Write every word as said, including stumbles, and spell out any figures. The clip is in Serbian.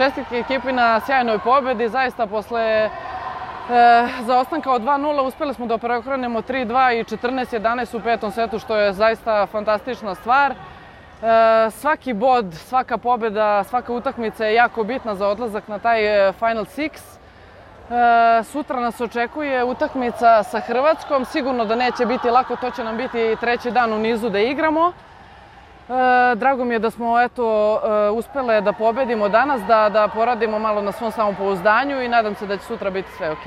Čestitke ekipi na sjajnoj pobedi, zaista posle zaostanka od dva nula uspeli smo da preokrenemo tri dva i četrnaest jedanaest u petom setu, što je zaista fantastična stvar. Svaki bod, svaka pobeda, svaka utakmica je jako bitna za odlazak na taj Final Six. Sutra nas očekuje utakmica sa Hrvatskom, sigurno da neće biti lako, to će nam biti treći dan u nizu da igramo. Drago mi je da smo uspele da pobedimo danas, da poradimo malo na svom samopouzdanju i nadam se da će sutra biti sve ok.